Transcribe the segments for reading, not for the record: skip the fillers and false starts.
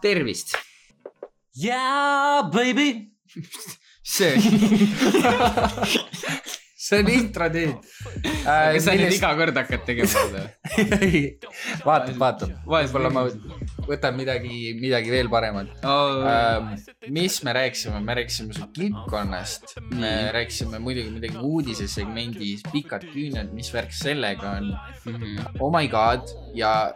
Tervist. Yeah, baby. See on intro nüüd. Kas sa nüüd iga kord hakkad tegema seda? Vaatab. Võib-olla ma võtan midagi veel paremat. Mis me rääkisime? Me rääkisime su kilpkonnast. Me rääkisime muidugi midagi uudisesegmendis, pikad küüned, mis värk sellega on. Oh my god. Ja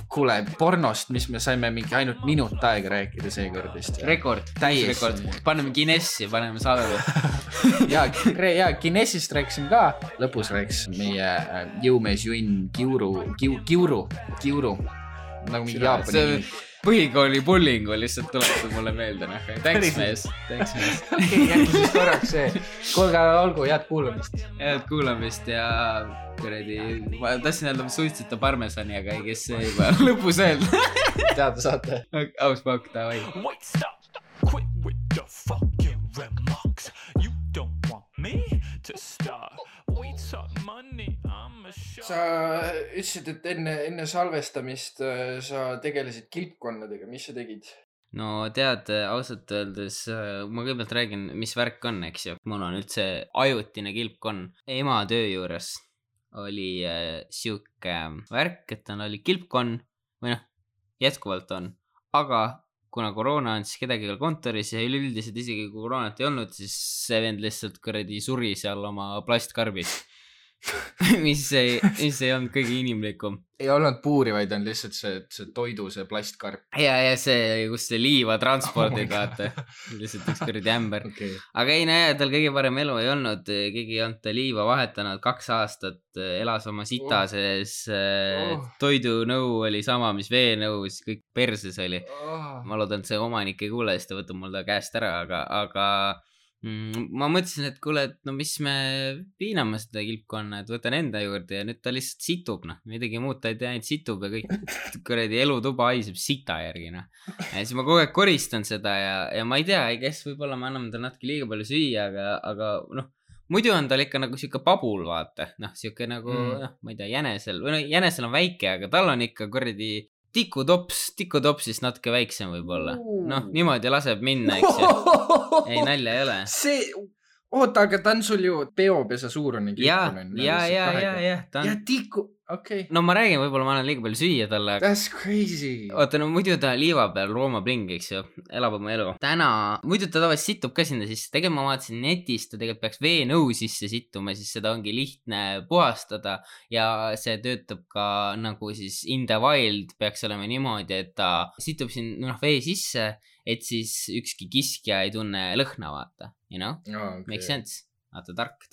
kuule, pornost, mis me saime mingi ainult minut aega rääkida seekord vist. Rekord. Paneme Guinessi, paneme salve. ja Guinessist rääkisime ka. Lõpus rääkisime meie jõumees Junn Kiuru. Nagu mingi Jaapani. Põhikooli bullingu lihtsalt tuletab mulle meelde. Thanks mees. Jätku siis korraks see. Kuulge, olgu, head kuulamist ja ma tahtsin öelda, ma suitseta parmesani, aga ei kes see juba lõpus öelda. Teada saate. Aus pakk, davai. Quit with the fucking remarks. You don't want me to start. We talk money, I'm a shot. Sa ütlesid, et enne salvestamist sa tegelesid kilpkonnadega. Mis sa tegid? No tead, ausalt öeldes ma kõigepealt räägin, mis värk on, eks ju. Mul on üldse ajutine kilpkonn. Ema töö juures oli siuke värk, et ta oli kilpkonn või noh, jätkuvalt on. Aga kuna koroona on siis kedagi kontoris ja üleüldiselt isegi kui koroonat ei olnud, siis see vend lihtsalt kuradi suri seal oma plastkarbis. mis ei olnud kõige inimlikum. Ei olnud puuri, vaid on lihtsalt see toidu, see plastkarp. Ja see, kus see liiva transpordid, vaata. Lihtsalt üks kuradi ämber. Okay. Aga ei näe, tal kõige parem elu ei olnud. Keegi ei olnud ta liiva vahetanud 2 aastat. Elas oma sita sees. Toidunõu oli sama, mis veenõu. Siis kõik perses oli. Ma loodan, et see omanik ei kuule, siis ta võtab mul ta käest ära. Aga ma mõtlesin, et kuule, et no mis me piiname seda kilpkonna, et võtan enda juurde ja nüüd ta lihtsalt situb, midagi muud ta ei tea, ainult situb ja kõik kuradi elutuba haiseb sita järgi, Ja siis ma kogu aeg koristan seda ja ma ei tea, kes võib-olla me anname tal natuke liiga palju süüa, aga muidu on tal ikka nagu siuke pabul, vaata, siuke nagu, ma ei tea, jänesel on väike, aga tal on ikka kuradi tikutopsist natuke väiksem võib-olla. Niimoodi laseb minna, eks ju. Ei, nalja ei ole. Oota, aga ta on sul ju peopesa suurune kilpkonna. Ja. Ja tiku, okei. No ma räägin, võib-olla ma annan liiga palju süüa talle. That's crazy. Oota, no muidu ta liiva peal Rooma bling, eks ju, elab oma elu. Muidu ta tavaliselt situb ka sinna sisse. Tegelikult ma vaatasin netist, ta tegelikult peaks veenõu sisse situma, siis seda ongi lihtne puhastada ja see töötab ka nagu siis in the wild peaks olema niimoodi, et ta situb siin vee sisse, et siis ükski kiskja ei tunne lõhna, vaata, you know? Okay. Make sense. Vaata, tark.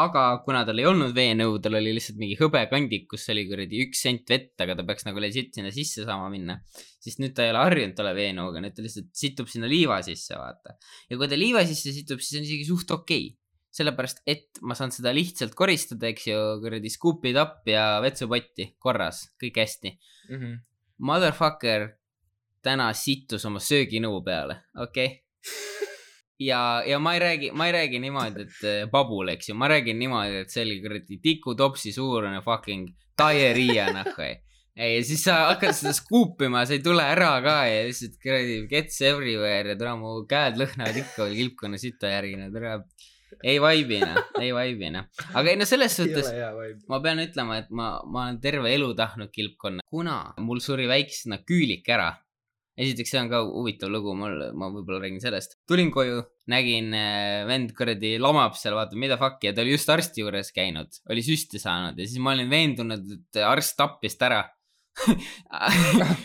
Aga kuna tal ei olnud veenõu, tal oli lihtsalt mingi hõbekandik, kus oli kuradi 1 sent vett, aga ta peaks nagu legit sinna sisse saama minna. Siis nüüd ta ei ole harjunud talle veenõuga, nüüd ta lihtsalt situb sinna liiva sisse, vaata. Ja kui ta liiva sisse situb, siis on isegi suht okei. Sellepärast, et ma saan seda lihtsalt koristada, eks ju, kuradi scoopid up ja vetsupotti korras, kõik hästi. Motherfucker täna sittus oma sööginõu peale, okei? Ja ma ei räägi niimoodi, et babul, eks ju, ma räägin niimoodi, et see oli kuradi tikutopsi suurune fucking diarrhea, Ja siis sa hakkad seda skuupima, sa ei tule ära ka ja lihtsalt kuradi gets everywhere ja mu käed lõhnavad ikka veel kilpkonna sita järgi, ei vaibina. Aga selles suhtes ma pean ütlema, et ma olen terve elu tahtnud kilpkonna, kuna mul suri väiksena küülik ära. Esiteks see on ka huvitav lugu, ma võib-olla räägin sellest. Tulin koju, nägin vend kuradi lamab seal, vaata, mida fuck, ja ta oli just arsti juures käinud, oli süsti saanud ja siis ma olin veendunud, et arst tappis ta ära.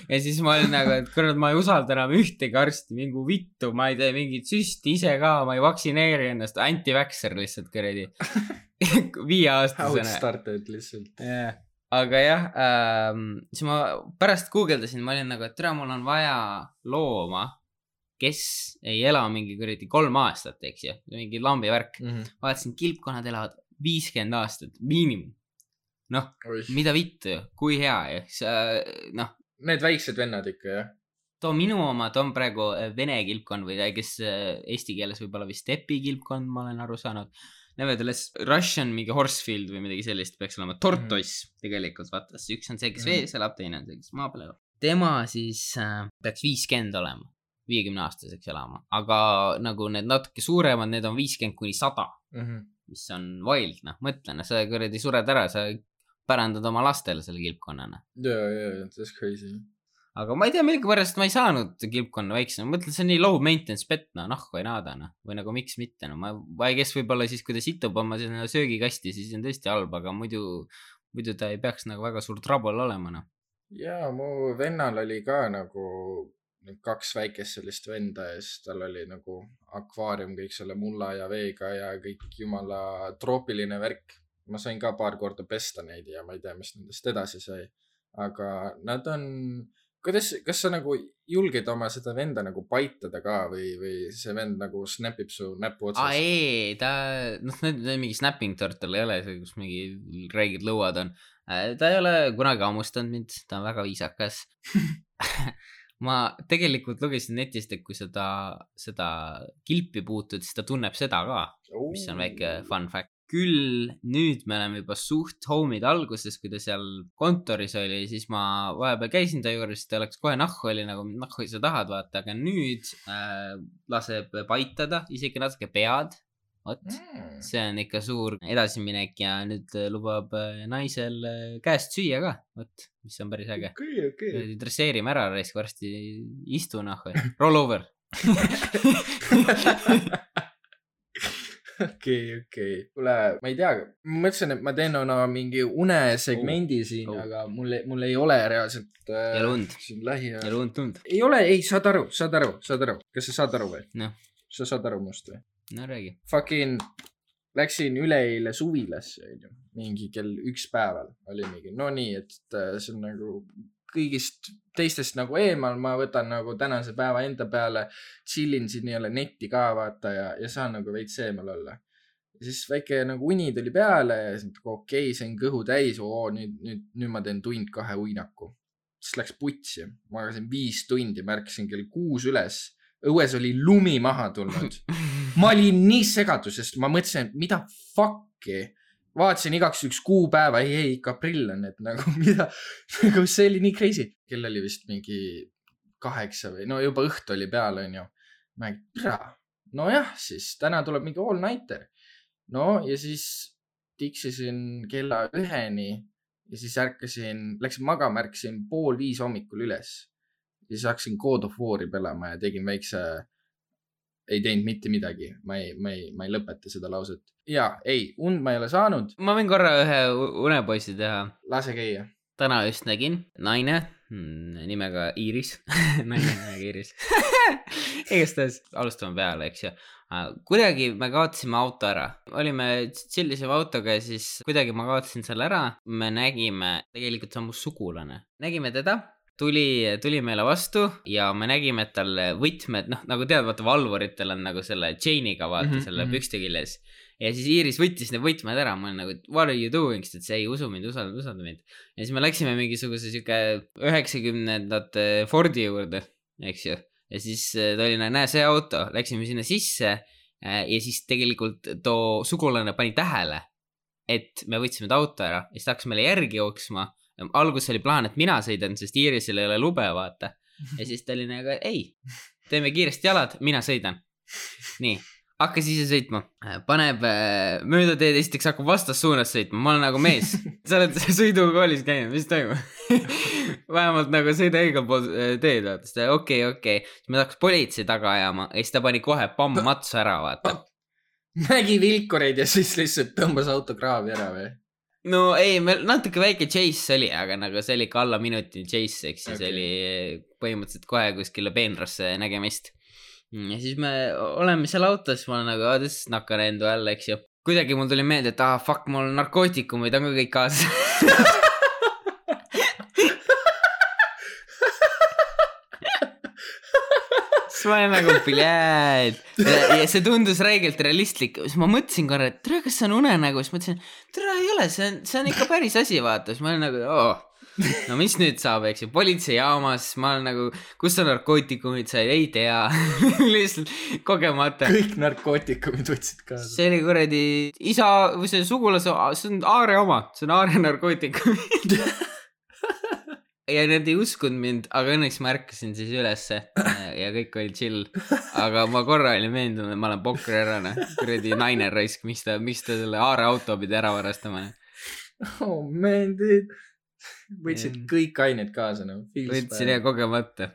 Ja siis ma olin nagu, et kurat, ma ei usalda enam ühtegi arsti, mingu vittu, ma ei tee mingit süsti ise ka, ma ei vaksineeri ennast, anti-vaxxer lihtsalt kuradi. 5-aastasena. Outstarted lihtsalt. Jah. Aga jah, siis ma pärast guugeldasin, ma olin nagu, et tere, mul on vaja looma, kes ei ela mingi kuradi 3 aastat, eks ju, mingi lambi värk. Vaatasin, kilpkonnad elavad 50 aastat, miinimum. Mida vittu, kui hea ju. Need väiksed vennad ikka, jah? Too minu oma, too on praegu vene kilpkond või kes eesti keeles võib-olla vist stepi kilpkond, ma olen aru saanud. Nevertheless, Russian mingi Horsefield või midagi sellist peaks olema. Tortoise tegelikult, vaata. Üks on see, kes vees elab, teine on see, kes maa peal elab. tema siis peaks 50 olema, 50-aastaseks elama, aga nagu need natuke suuremad, need on 50-100, mis on wild, noh, mõtlena, sa kuradi sured ära, sa pärandad oma lastele selle kilpkonnana. Yeah, that's crazy. Aga ma ei tea, millega pärast ma ei saanud kilpkonna väiksena. Ma mõtlen, see on nii low maintenance pet, no nahku ei naada, no. Või nagu miks mitte, no. Ma ei kes võib-olla siis, kui ta situb oma söögikasti, siis on tõesti halb, aga muidu ta ei peaks nagu väga suur trouble olema, no. Jaa, mu vennal oli ka nagu 2 väikest sellist venda ja siis tal oli nagu akvaarium kõik selle mulla ja veega ja kõik jumala troopiline värk. Ma sain ka paar korda pesta neid ja ma ei tea, mis nendest edasi sai. Aga nad on... Kas sa nagu julged oma seda venda nagu paitada ka või see vend nagu snapib su näpu otsast? Ei, ta, mingi snapping turtle ei ole, kus mingi reigid lõuad on. Ta ei ole kunagi hammustanud mind, ta on väga viisakas. Ma tegelikult lugesin netist, et kui seda kilpi puutud, siis ta tunneb seda ka, mis on väike fun fact. Küll nüüd me oleme juba suht homid alguses, kui ta seal kontoris oli, siis ma vahepeal käisin ta juures, ta oleks kohe nahku oli nagu nahku sa tahad vaata, aga nüüd laseb paitada, isegi natuke pead. See on ikka suur edasiminek ja nüüd lubab naisel käest süüa ka, mis on päris äge. Okay. Dresseerime ära, reisk varsti istu nahku, roll over. Okei. Kuule, ma ei tea, ma mõtlesin, et ma teen mingi unesegmendi siin, aga mul ei ole reaalselt siin lähiajal. Ja lund. Ei ole, saad aru. Kas sa saad aru või? No. Sa saad aru must või? No räägi. Fucking läksin üleeile suvilasse, mingi kell 1 päeval oli mingi, no nii, et see on nagu kõigist teistest nagu eemal, ma võtan nagu tänase päeva enda peale, chillin siin nii-ole netti ka vaata ja saan nagu veits eemal olla. Ja siis väike nagu uni tuli peale ja siis okei, see on kõhu täis, nüüd ma teen 1-2 uinaku. Siis läks putsi, ma agasin 5 tundi, märkasin kell 6 üles, õues oli lumi maha tulnud. Ma olin nii segadusest, ma mõtlesin, et mida fuck'i. Vaatasin igaks üks kuupäeva, ei, ikka aprill on, et nagu mida, nagu see oli nii crazy. Kell oli vist mingi 8 või, no juba õht oli peal, on ju. Ma no jah, siis täna tuleb mingi all nighter. No ja siis tiksisin kella 1-ni ja siis läksin magama, ärkasin 4:30 hommikul üles. Ja siis hakkasin God of War'i pelama ja tegin väikse... Ei teinud mitte midagi, ma ei lõpeta seda lauset. Jaa, und ma ei ole saanud. Ma võin korra ühe unepoisi teha. Lase käia. Täna just nägin naine nimega Iiris. Naine nimega Iiris. Igastahes alustame peale, eks ju. Kuidagi me kaotasime auto ära. Olime chillisime autoga ja siis kuidagi ma kaotasin selle ära. Me nägime, tegelikult see on mu sugulane. Nägime teda. Tuli meile vastu ja me nägime, et tal võtmed, nagu tead, vaata valvuritel on nagu selle chainiga vaata selle pükste küljes. Ja siis Iiris võttis need võtmed ära, ma olen nagu, what are you doing, sest see ei usu mind, usalda mind. Ja siis me läksime mingisuguse siuke 90ndate Fordi juurde, eks ju. Ja siis ta oli, näe see auto, läksime sinna sisse ja siis tegelikult too sugulane pani tähele, et me võtsime ta auto ära ja siis ta hakkas meile järgi jooksma. Algus oli plaan, et mina sõidan, sest Iirisel ei ole lube, vaata. Ja siis ta oli nagu, ei, teeme kiiresti jalad, mina sõidan. Nii, hakkas ise sõitma. Paneb mööda teed, esiteks hakkab vastassuunas sõitma. Ma olen nagu mees. Sa oled sõidukoolis käinud, mis toimub? Vähemalt nagu sõida igal pool teed, vaata. Okei. Siis me tahaks politsei taga ajama ja siis ta pani kohe matsu ära, vaata. Nägi vilkureid ja siis lihtsalt tõmbas auto kraavi ära või? No ei, meil natuke väike chase oli, aga nagu see oli ka alla minuti chase, eks okay. See oli põhimõtteliselt kohe kuskile peenrasse nägemist. Ja siis me oleme seal autos, ma olen nagu, this is not gonna end well, eks ju. Kuidagi mul tuli meelde, et fuck, mul narkootikumid on ka kõik kaasas. Ma olen nagu piljääd ja see tundus räigelt realistlik, siis ma mõtlesin korra, et tere, kas see on unenägu, siis mõtlesin, tere ei ole, see on ikka päris asi, vaata, siis ma olen nagu, no mis nüüd saab, eks ju, politseijaamas, ma olen nagu, kus sa narkootikumid said, ei tea, lihtsalt kogemata. Kõik narkootikumid võtsid kaasa. See oli kuradi isa või see sugulase, see on Aare oma, see on Aare narkootikumid. ja nad ei uskunud mind, aga õnneks ma ärkasin siis ülesse ja kõik oli chill. Aga ma korra olin veendunud, et ma olen pokkerärane, kuradi naine raisk, miks ta selle aareauto pidi ära varastama. Oh man, dude. Võtsid kõik ained kaasa. Võtsin ja kogemata.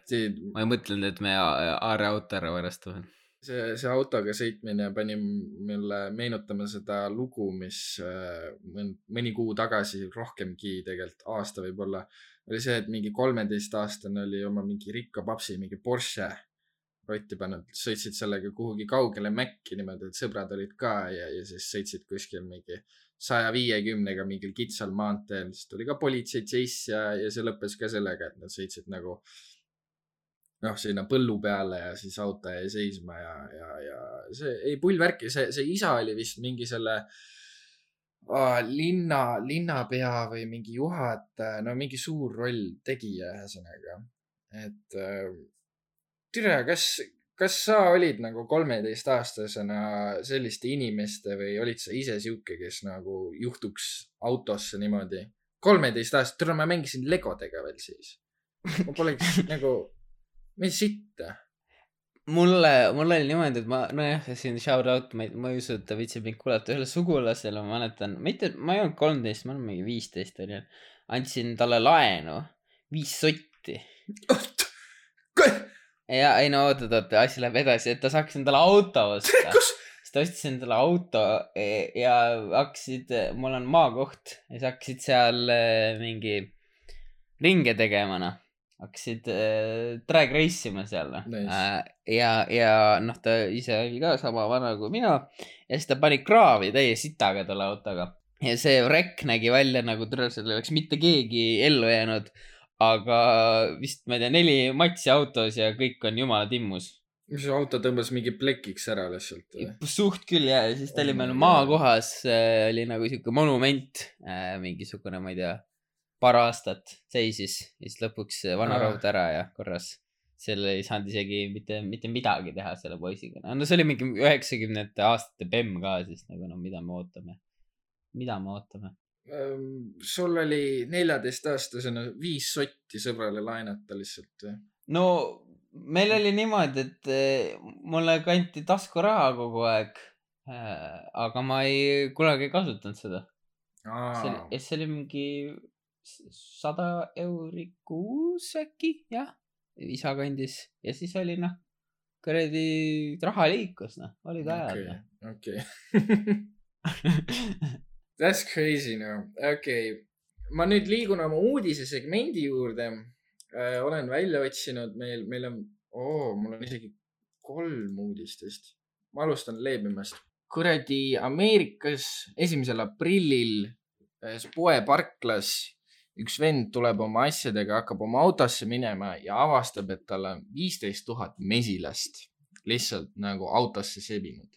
Ma ei mõtlenud, et me aareauto ära varastame. See autoga sõitmine pani mulle meenutama seda lugu, mis mõni kuu tagasi, rohkemgi tegelikult, aasta võib-olla, oli see, et mingi 13-aastane oli oma mingi rikka papsi, mingi Porsche rotti pannud, sõitsid sellega kuhugi kaugele Mäkki niimoodi, et sõbrad olid ka ja siis sõitsid kuskil mingi 150-ga mingil kitsal maanteel, siis tuli ka politsei chase ja see lõppes ka sellega, et nad sõitsid nagu sinna põllu peale ja siis auto jäi seisma ja see ei pullvärki, see isa oli vist mingi selle linnapea või mingi juhataja, no mingi suur roll tegija ühesõnaga. Et tere, kas sa olid nagu 13-aastasena selliste inimeste või olid sa ise siuke, kes nagu juhtuks autosse niimoodi? 13 aastat, tere, ma mängisin Legodega veel siis. Ma poleks nagu... Mis sitta? Mulle oli niimoodi, et nojah, siin shout out, ma ei usu, et ta viitsib mind kuulata ühele sugulasele, ma mäletan, ma ei olnud 13, ma olen mingi 15 olin. Andsin talle laenu 5 sotti. Ja ei no oota, asi läheb edasi, et ta saaks endale auto osta. Siis ta ostis endale auto ja hakkasid, mul on maakoht ja siis hakkasid seal mingi ringe tegemana. Hakkasid drag race'ima seal. Nice. Ja noh, ta ise oli ka sama vana kui mina. Ja siis ta pani kraavi täie sitaga talle autoga. Ja see rekk nägi välja nagu tõenäoliselt oleks mitte keegi ellu jäänud. Aga vist, ma ei tea, 4 matsi autos ja kõik on jumala timmus. Mis auto tõmbas mingi plekiks ära lihtsalt? Suht küll ja siis ta oli meil maakohas. Oli nagu siuke monument. Mingisugune, ma ei tea, paar aastat seisis ja siis lõpuks vana raud ära ja korras selle ei saanud isegi mitte midagi teha selle poisiga. No see oli mingi 90-ndate aastate BEM ka siis nagu no mida me ootame? Sul oli 14-aastasena 5 sotti sõbrale laenata lihtsalt või? No meil oli niimoodi, et mulle kanti taskuraha kogu aeg, aga ma ei kunagi kasutanud seda. See oli mingi 100 euri kuus äkki, jah, isa kandis ja siis oli kuradi raha liikus, olid ajad. Okay. That's crazy Okay. Ma nüüd liigun oma uudisesegmendi juurde. Olen välja otsinud, meil on, mul on isegi 3 uudistest. Ma alustan leebimast. Kuradi Ameerikas 1. aprillil poeparklas üks vend tuleb oma asjadega, hakkab oma autosse minema ja avastab, et tal on 15 000 mesilast lihtsalt nagu autosse sebinud.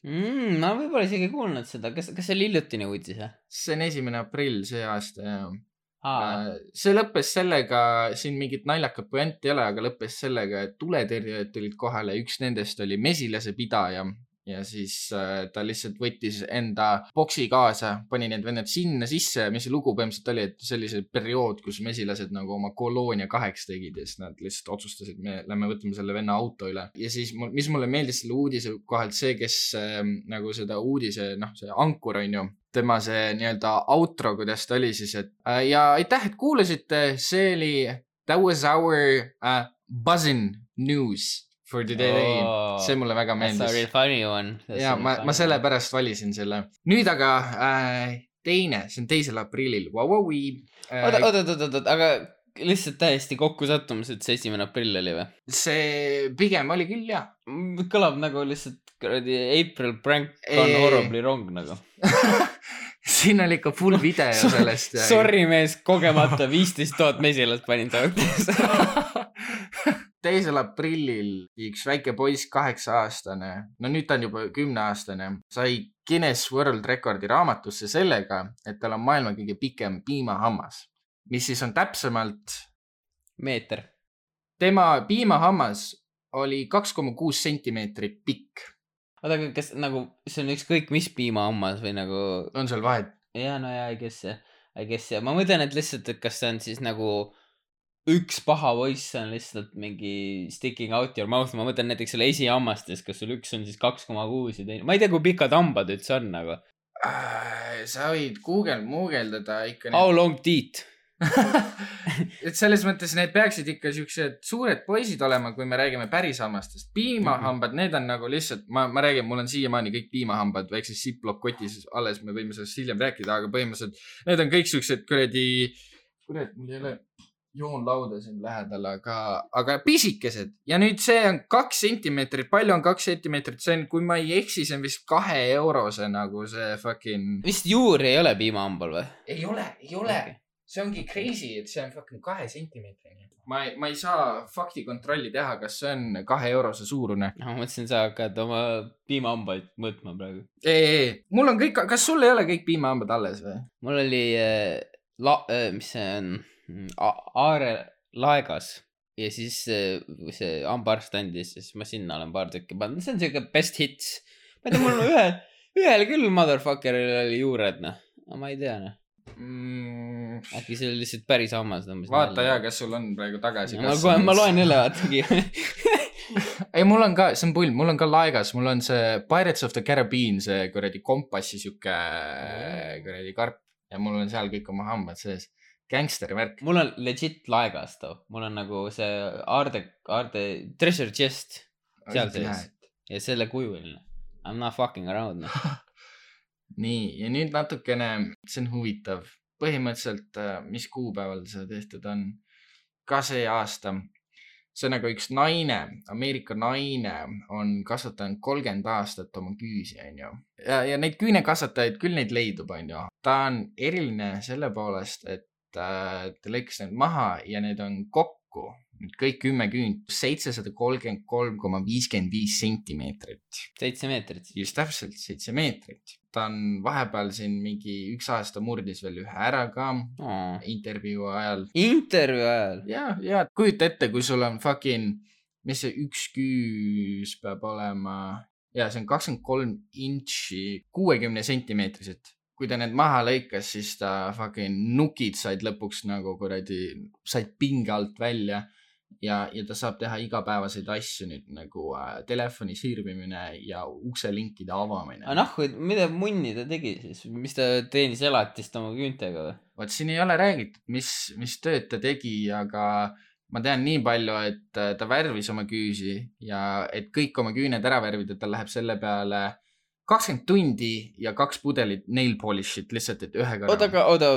Ma võib-olla isegi kuulnud seda. Kas see oli hiljutine uudis? See on 1. aprill see aasta, jah. See lõppes sellega, siin mingit naljakat puent ei ole, aga lõppes sellega, et tuletõrjujad tulid kohale. Üks nendest oli mesilase pidaja. Ja siis ta lihtsalt võttis enda boksi kaasa, pani need vennad sinna sisse, mis lugu põhimõtteliselt oli, et sellise periood, kus mesilased nagu oma koloonia 8 tegid ja siis nad lihtsalt otsustasid, me lähme võtame selle venna auto üle. Ja siis, mis mulle meeldis selle uudise kohalt, see, kes nagu seda uudise, see ankur on ju, tema see nii-öelda outro, kuidas ta oli siis, et ja aitäh, et kuulasite, see oli that was our buzzing news for today. See mulle väga meeldis. That's a real funny one. Ja ma sellepärast valisin selle. Nüüd aga teine, see on 2. aprillil. Oota, aga lihtsalt täiesti kokku sattumus, et see 1. aprill oli või? See pigem oli küll, jah. Kõlab nagu lihtsalt April prank on horribly wrong nagu. Siin oli ikka full video sellest. Sorry mees, kogemata 15 000 mesilast panin taotes. 2. aprillil üks väike poiss 8-aastane, no nüüd ta on juba 10-aastane, sai Guinness World Recordi raamatusse sellega, et tal on maailma kõige pikem piimahammas, mis siis on täpsemalt meeter. Tema piimahammas oli 2,6 sentimeetrit pikk. Oota, kas nagu see on ükskõik mis piimahammas või nagu... On seal vahet? Ja, no ja, I guess. Ma mõtlen, et lihtsalt, et kas see on siis nagu üks paha poiss on lihtsalt mingi sticking out your mouth. Ma mõtlen näiteks selle esihammastes, kas sul üks on siis 2,6 ja teine. Ma ei tea, kui pikad hambad üldse on, aga. Sa võid muugeldada ikka. How long teeth? Et selles mõttes need peaksid ikka siuksed suured poisid olema, kui me räägime päris hammastest. Piimahambad, need on nagu lihtsalt, ma räägin, mul on siiamaani kõik piimahambad väikses Ziploc kotis alles, me võime sellest hiljem rääkida, aga põhimõtteliselt need on kõik siuksed kuradi, mul ei ole joonlauda siin lähedal, aga pisikesed. Ja nüüd see on 2 sentimeetrit, palju on 2 sentimeetrit, see on, kui ma ei eksi, see on vist 2 eurose nagu see fucking. Vist juuri ei ole piimahambal või? Ei ole. Okay. See ongi crazy, et see on fucking 2 sentimeetrini. Ma ei saa fakti kontrolli teha, kas see on 2 eurose suurune. Ma mõtlesin, sa hakkad oma piimahambaid mõõtma praegu. Ei. Mul on kõik, kas sul ei ole kõik piimahambad alles või? Mul oli, mis see on, Aare laegas. Ja siis see hambaarst andis, siis ma sinna olen paar tükki pannud. See on selline best hits. Ma ei tea, mul on ühel küll motherfuckeril oli juured, noh. Ma ei tea, noh. Äkki see oli lihtsalt päris hammas. Vaata ja, kas sul on praegu tagasi. Ma loen jälle vaatagi. Ei, mul on ka, see on pull, mul on ka laegas, mul on see Pirates of the Caribbean, see kuradi kompassi siuke kuradi karp ja mul on seal kõik oma hambad sees. Gangsteri värk. Mul on legit laegas too. Mul on nagu see Aarde treasure chest seal sees ja selle kujuline. I'm not fucking around. Nii, ja nüüd natukene, see on huvitav. Põhimõtteliselt, mis kuupäeval see tehtud on? Ka see aasta. See on nagu üks naine, Ameerika naine on kasvatanud 30 aastat oma küüsi, on ju. Ja neid küünekasvatajaid küll neid leidub, on ju. Ta on eriline selle poolest, et ta lõikas need maha ja need on kokku. Kõik 10 küünt, 733,55 sentimeetrit. 7 meetrit. Just täpselt, 7 meetrit. Ta on vahepeal siin mingi 1 aasta murdis veel ühe ära ka intervjuu ajal. Intervjuu ajal? Ja kujuta ette, kui sul on fucking, mis see üks küüs peab olema? Ja see on 23 intši, 60 sentimeetrised. Kui ta need maha lõikas, siis ta fucking nukid said lõpuks nagu kuradi, said pinge alt välja ja ta saab teha igapäevaseid asju nüüd nagu telefoni sirvimine ja ukselinkide avamine. Mida munni ta tegi siis? Mis ta teenis elatist oma küüntega või? Vaat siin ei ole räägitud, mis tööd ta tegi, aga ma tean nii palju, et ta värvis oma küüsi ja et kõik oma küüned ära värvida, ta läheb selle peale 20 tundi ja 2 pudelit nail polish'it lihtsalt, et ühe korra. Oota.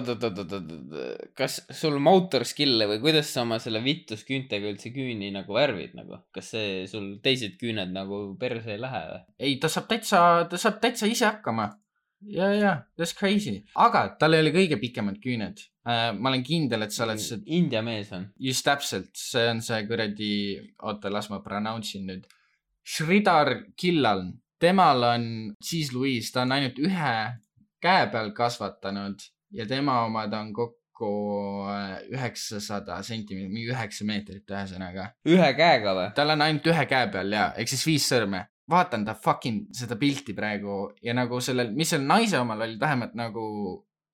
Kas sul motor skill'e või kuidas sa oma selle vittusküüntega üldse küüni nagu värvid nagu? Kas see sul teised küüned nagu perse ei lähe või? Ei, ta saab täitsa ise hakkama. Ja, that's crazy. Aga tal oli kõige pikemad küüned. Ma olen kindel, et sa oled see. India mees on. Just täpselt. See on see kuradi, oota, las ma pronounce'in nüüd. Sridhar Killal. Temal on Cheese Louise, ta on ainult ühe käe peal kasvatanud ja tema omad on kokku 900 sentimeetrit, mingi 9 meetrit ühesõnaga. Ühe käega või? Tal on ainult ühe käe peal ja, ehk siis 5 sõrme. Vaatan ta fucking seda pilti praegu ja nagu sellel, mis seal naise omal oli vähemalt nagu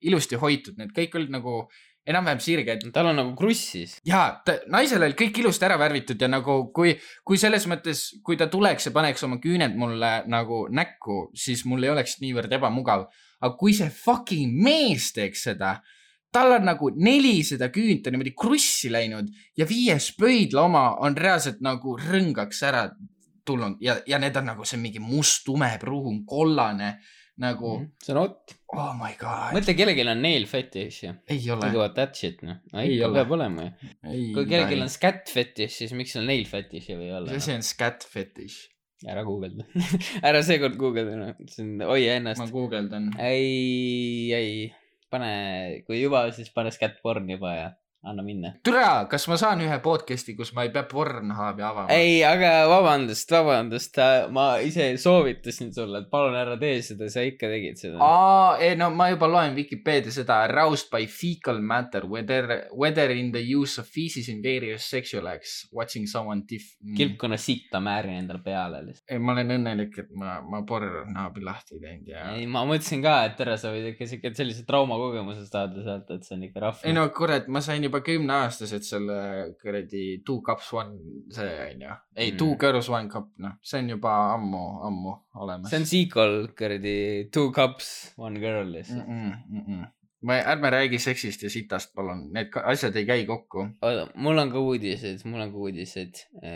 ilusti hoitud, need kõik olid nagu enam-vähem sirge. Tal on nagu krussis. Jaa, naisel oli kõik ilusti ära värvitud ja nagu kui selles mõttes, kui ta tuleks ja paneks oma küüned mulle nagu näkku, siis mul ei oleks niivõrd ebamugav. Aga kui see fucking mees teeks seda, tal on nagu 400 küünta niimoodi krussi läinud ja 5 pöidla oma on reaalselt nagu rõngaks ära tulnud ja need on nagu see mingi must, tume, pruun, kollane. Nagu... See on hot. Oh my god. Mõtle, kellelgi on nail fetish ja. Ei ole. Nagu that shit, noh. Ikka peab olema ju. Kui kellelgi on scat fetish, siis miks on nail fetish või olla? See on scat fetish. Ära googelda. Ära seekord googelda. Hoia ennast. Ma googeldan. Ei. Pane, kui juba, siis pane scat porn juba ja anna minna. Türa, kas ma saan ühe podcasti, kus ma ei pea Pornhubi avama? Ei, aga vabandust. Ma ise soovitasin sulle, et palun ära tee seda, sa ikka tegid seda. No ma juba loen Wikipedia seda aroused by fecal matter, whether in the use of feces in various sexual acts, watching someone Kilpkonna sitta määrin endale peale. Ei, ma olen õnnelik, et ma Pornhubi lahti teinud ja... Ei, ma mõtlesin ka, et tere, sa võid ikka sellise traumakogemuse saada sealt, et see on ikka rahv. Ei no kurat, ma sain juba 10-aastased selle kuradi 2 cups 1 see on ju. Ei, 2 girls 1 cup, noh. See on juba ammu olemas. See on sequel kuradi 2 cups 1 girl. Ärme räägi seksist ja sitast, palun. Need asjad ei käi kokku. Mul on ka uudised.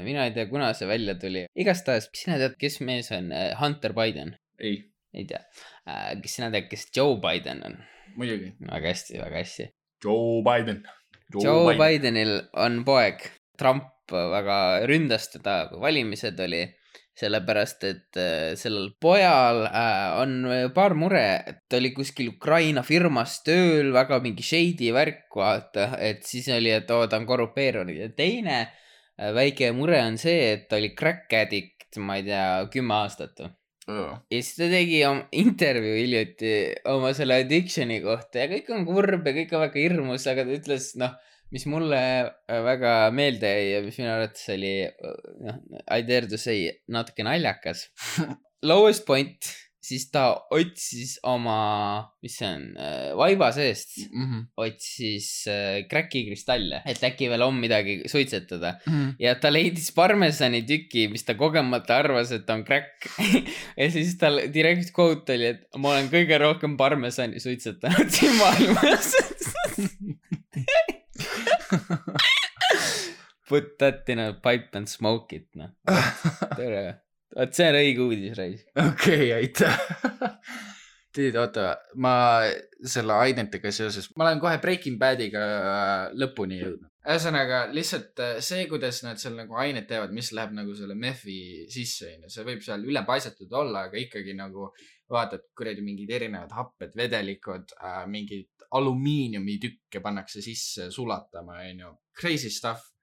Mina ei tea, kuna see välja tuli. Igastahes, kas sina tead, kes mees on Hunter Biden? Ei tea. Kas sina tead, kes Joe Biden on? Muidugi. Väga hästi. Joe Bidenil on poeg. Trump väga ründas teda, kui valimised oli. Sellepärast, et sellel pojal on paar mure, et ta oli kuskil Ukraina firmas tööl, väga mingi shady värk, vaata, et siis oli, et ta on korrupeerunud. Ja teine väike mure on see, et ta oli crack addict, ma ei tea, 10 aastat. Ja siis ta tegi intervjuu hiljuti oma selle addictioni kohta ja kõik on kurb ja kõik on väga hirmus, aga ta ütles, mis mulle väga meelde ja mis minu arvates oli, I dare to say, natuke naljakas. Lowest point, siis ta otsis oma, mis see on, vaiba seest, otsis kräkikristalle, et äkki veel on midagi suitsetada. Ja ta leidis parmesani tüki, mis ta kogemata arvas, et on kräkk. Ja siis tal direct quote oli, et ma olen kõige rohkem parmesani suitsetanud siin maailmas. Put that in a pipe and smoke it, tere. Vaat see on õige uudis, Rais. Okei, aitäh. Tiid, oota, ma selle ainetega seoses, ma olen kohe Breaking Badiga lõpuni jõudnud. Ühesõnaga, lihtsalt see, kuidas nad seal nagu ainet teevad, mis läheb nagu selle meffi sisse, see võib seal üle paisatud olla, aga ikkagi nagu vaatad, kuradi mingid erinevad happed, vedelikud, mingid alumiiniumi tükke pannakse sisse sulatama, crazy stuff.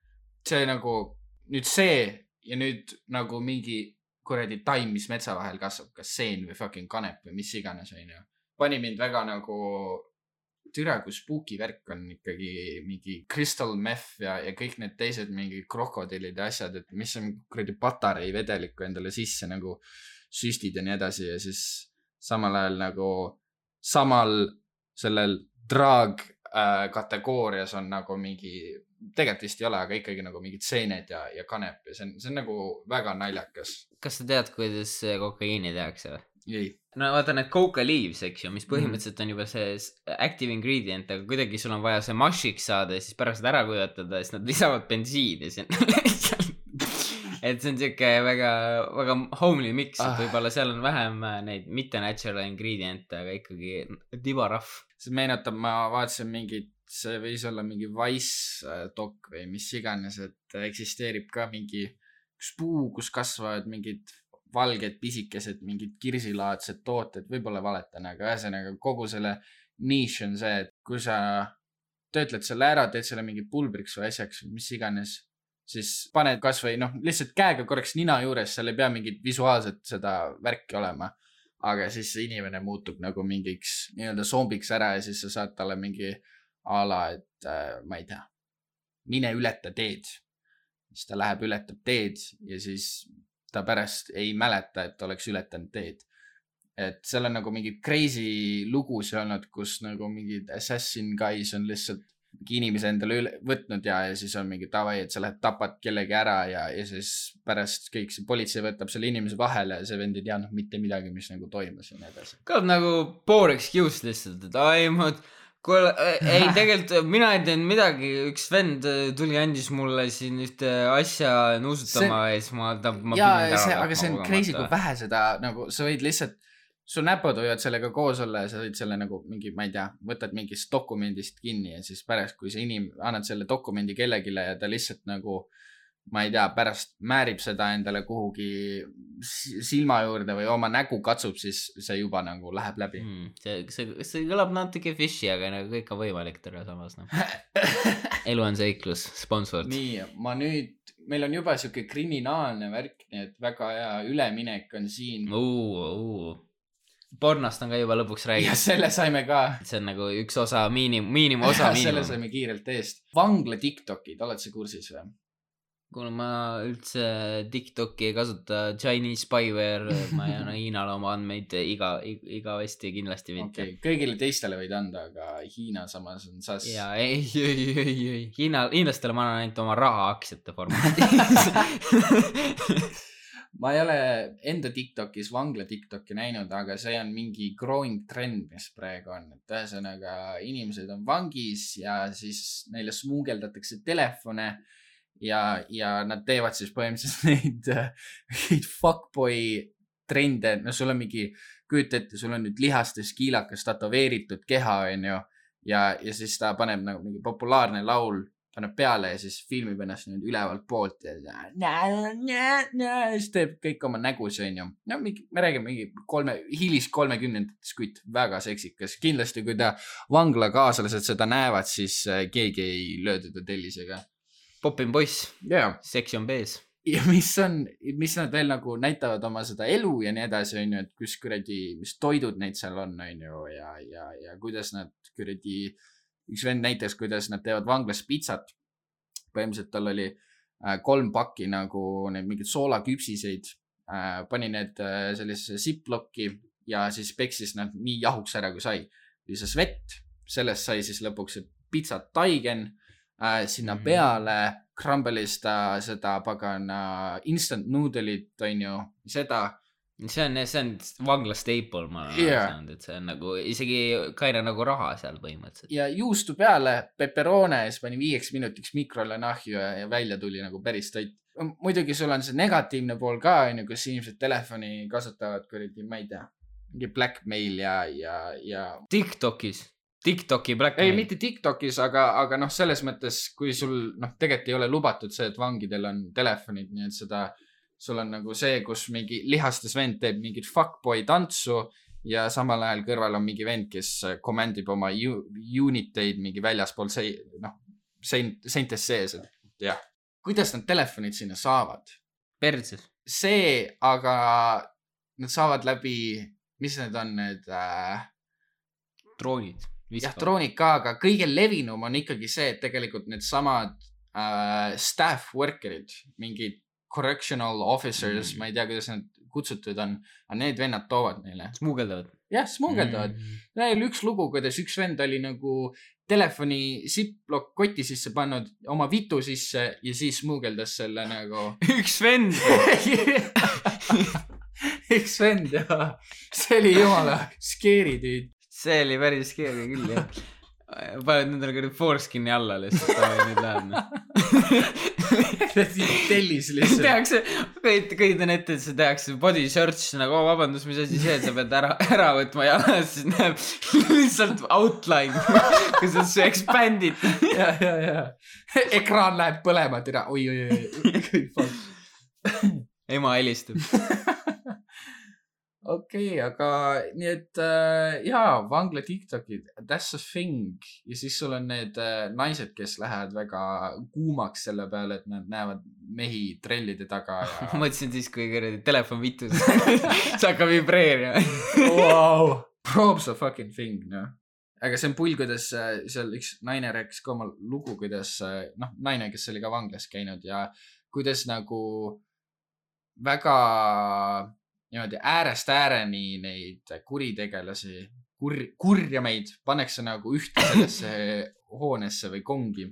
See nagu, nüüd see ja nüüd nagu mingi kuradi taim, mis metsa vahel kasvab, kas seen või fucking kanep või mis iganes, pani mind väga nagu türa, kui spooky värk on ikkagi mingi crystal meth ja kõik need teised mingi krokodillid ja asjad, et mis on kuradi patarei vedelikku endale sisse nagu süstid ja nii edasi ja siis samal ajal nagu samal sellel drag kategoorias on nagu mingi, tegelikult vist ei ole, aga ikkagi nagu mingid seened ja kanep ja see on nagu väga naljakas. Kas sa tead, kuidas kokaiini tehakse? Ei. No vaata need coca leaves, eks ju, mis põhimõtteliselt on juba see active ingredient, aga kuidagi sul on vaja see mashiks saada ja siis pärast ära kuivatada ja siis nad lisavad bensiini et see on siuke väga, väga homely mix, et võib-olla seal on vähem neid mitte natural ingrediente, aga ikkagi tibarahv. See meenutab, ma vaatasin mingit, see võis olla mingi Vice dok või mis iganes, et eksisteerib ka mingi üks puu, kus kasvavad mingid valged pisikesed, mingid kirsilaadsed tooted, võib-olla valetan, aga ühesõnaga kogu selle niche on see, et kui sa töötled selle ära, teed selle mingi pulbriks või asjaks, mis iganes, siis paned kas või lihtsalt käega korraks nina juures, seal ei pea mingit visuaalset seda värki olema, aga siis see inimene muutub nagu mingiks nii-öelda zombiks ära ja siis sa saad talle mingi ala, et ma ei tea, mine ületa teed. Siis ta läheb, ületab teed ja siis ta pärast ei mäleta, et oleks ületanud teed. Et seal on nagu mingi crazy lugusi olnud, kus nagu mingid assassin guys on lihtsalt inimese endale võtnud ja siis on mingi tavai, et sa lähed tapad kellegi ära ja siis pärast kõik see politsei võtab selle inimese vahele ja see vend ei teadnud mitte midagi, mis nagu toimus ja nii edasi. Kõlab nagu poor excuse lihtsalt, et ei, tegelikult mina ei teinud midagi, üks vend tuli andis mulle siin ühte asja nuusutama ja siis ma aga see on crazy, kui vähe seda nagu sa võid lihtsalt su näpud võivad sellega koos olla ja sa võid selle nagu mingi, ma ei tea, võtad mingist dokumendist kinni ja siis pärast, kui sa annad selle dokumendi kellegile ja ta lihtsalt nagu, ma ei tea, pärast määrib seda endale kuhugi silma juurde või oma nägu katsub, siis see juba nagu läheb läbi. See kõlab natuke fishy, aga nagu kõik on võimalik terve samas. Elu on seiklus, sponsord. Nii, meil on juba siuke kriminaalne värk, nii et väga hea üleminek on siin. Pornost on ka juba lõpuks räägitud. Ja selle saime ka. See on nagu üks osa, miinimumosa. Selle saime kiirelt eest. Vangla TikTokid, oled sa kursis või? kuna ma üldse TikToki ei kasuta, Chinese spyware, ma ei anna Hiinale oma andmeid igavesti kindlasti mitte. Okay. Kõigile teistele võid anda, aga Hiina samas on sas. Jaa, ei. Hiinlastele ma annan ainult oma raha aktsiate formatis. Ma ei ole enda TikTokis vangla TikToki näinud, aga see on mingi growing trend, mis praegu on. Et ühesõnaga inimesed on vangis ja siis neile smuugeldatakse telefone ja nad teevad siis põhimõtteliselt neid fuckboy trende. No sul on mingi, kujuta ette, sul on nüüd lihastes kiilakas tatoveeritud keha, on ju, ja siis ta paneb nagu mingi populaarne laul, paneb peale ja siis filmib ennast nüüd ülevalt poolt ja siis teeb kõik oma nägus, on ju. No me räägime mingi hilis 30-ndates, kuid väga seksikas. Kindlasti, kui ta vangla kaaslased seda näevad, siis keegi ei löö teda tellisega. Popin poiss, yeah. Seksi on bees. Ja mis nad veel nagu näitavad oma seda elu ja nii edasi, on ju, et kus kuradi, mis toidud neid seal on ju, ja kuidas nad kuradi, üks vend näitas, kuidas nad teevad vanglas pizzat. Põhimõtteliselt tal oli 3 pakki nagu need mingid soolaküpsiseid, pani need sellisesse ziploki ja siis peksis nad nii jahuks ära, kui sai. Lisas vett, sellest sai siis lõpuks see pizzat taigen, sinna peale crumbelis ta seda pagana instant noodle'it, on ju, seda. See on vangla staple, ma olen saanud, et see on nagu isegi kaina nagu raha seal põhimõtteliselt. Ja juustu peale pepperone, siis pani 5 minutiks mikrole nahju ja välja tuli nagu päris toit. Muidugi sul on see negatiivne pool ka, on ju, kus inimesed telefoni kasutavad, kuradi, ma ei tea, mingi blackmail ja TikToki blackmail. Ei, mitte TikTokis, aga noh, selles mõttes, kui sul tegelikult ei ole lubatud see, et vangidel on telefonid, nii et seda, sul on nagu see, kus mingi lihastes vend teeb mingit fuckboy tantsu ja samal ajal kõrval on mingi vend, kes komandib oma uniteid mingi väljaspool seintes sees. Jah. Kuidas nad telefonid sinna saavad? Perses. See, aga nad saavad läbi, mis need on need droonid. Jah, droonid ka, aga kõige levinum on ikkagi see, et tegelikult need samad staff workerid, mingid correctional officers, ma ei tea, kuidas nad kutsutud on, aga need vennad toovad neile. Smuugeldavad. Jah, smuugeldavad. Neil üks lugu, kuidas üks vend oli nagu telefoni ziplock koti sisse pannud, oma vitu sisse ja siis smuugeldas selle nagu. Üks vend! Üks vend, jah. See oli jumala scary tüüd. See oli päris scary küll, jah. Paned nendele kõrdi foreskin'i alla lihtsalt, nüüd läheb. Tellis lihtsalt. Tehakse, kõidan ette, et see tehakse body search nagu, vabandus, mis asi see, et sa pead ära võtma ja siis näeb lihtsalt outline, kus on see expandid. Ja. Ekraan läheb põlema, tira, oi. Ema helistub. Okei, aga nii et jaa, vangla TikTokid, that's a thing. Ja siis sul on need naised, kes lähevad väga kuumaks selle peale, et nad näevad mehi trellide taga. Ja... Mõtlesin siis, kui telefon vitus, see hakkab vibreerima. Wow, probe's a fucking thing, no. Aga see on pull, kuidas seal üks naine rääkis ka oma lugu, kuidas, naine, kes oli ka vanglas käinud ja kuidas nagu väga... niimoodi äärest ääreni neid kuritegelasi, kurjameid pannakse nagu ühte sellesse hoonesse või kongi.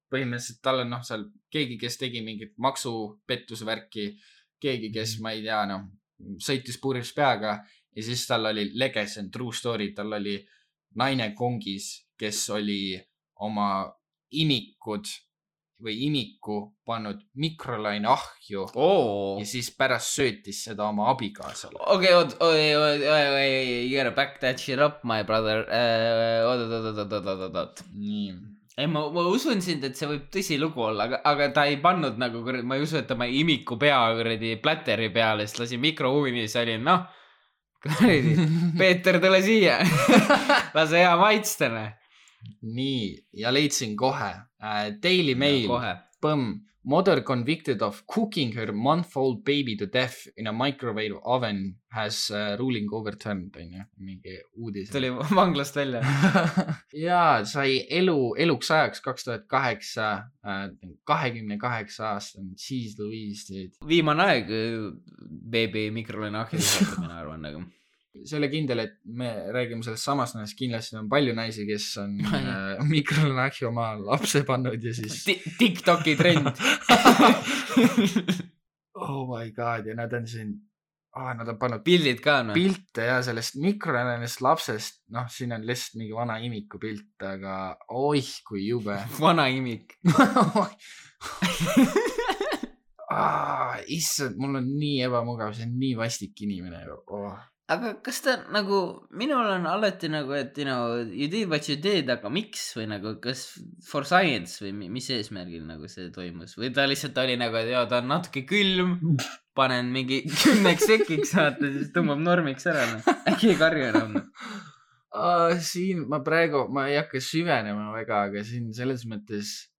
Põhimõtteliselt tal on seal keegi, kes tegi mingit maksupettusvärki, keegi, kes ma ei tea, sõitis puuris peaga ja siis tal oli legend, true story, tal oli naine kongis, kes oli oma imiku pannud mikrolaine ahju ja siis pärast söötis seda oma abikaasale. Okei, you gotta back that shit up, my brother. Oot. Nii. Ei, ma usun sind, et see võib tõsilugu olla, aga ta ei pannud nagu, ma ei usu, et ta ma imiku pea platteri peale, sest lasi mikrouunis oli, Peeter, tule siia. Lase hea maitstene. Nii, ja leidsin kohe. Daily Mail. Põmm. Mother convicted of cooking her month-old baby to death in a microwave oven has ruling overturned, mingi uudis. Tuli vanglast välja. Jaa, sai eluks ajaks 2008, 28 aastane, Jeez Louise. Viimane aeg beebi mikrolaineahju saata, mina arvan nagu. See oli kindel, et me räägime sellest samast näest, kindlasti on palju naisi, kes on mikrolaineahju oma lapse pannud ja siis TikToki trend. Oh my god, ja nad on siin nad on pannud pildid ka, no. Pilte ja sellest mikrolainest lapsest, siin on lihtsalt mingi vana imiku pilt, aga oih, kui jube. Vana imik. Issand, mul on nii ebamugav, see on nii vastik inimene. Aga kas ta nagu, minul on alati nagu, et you did what you did, aga miks või nagu, kas for science või mis eesmärgil nagu see toimus või ta lihtsalt oli nagu, et ta on natuke külm, panen mingi 10 sekiks saata, siis tõmbab normiks ära, äkki ei karju enam. Siin ma ei hakka süvenema väga, aga siin selles mõttes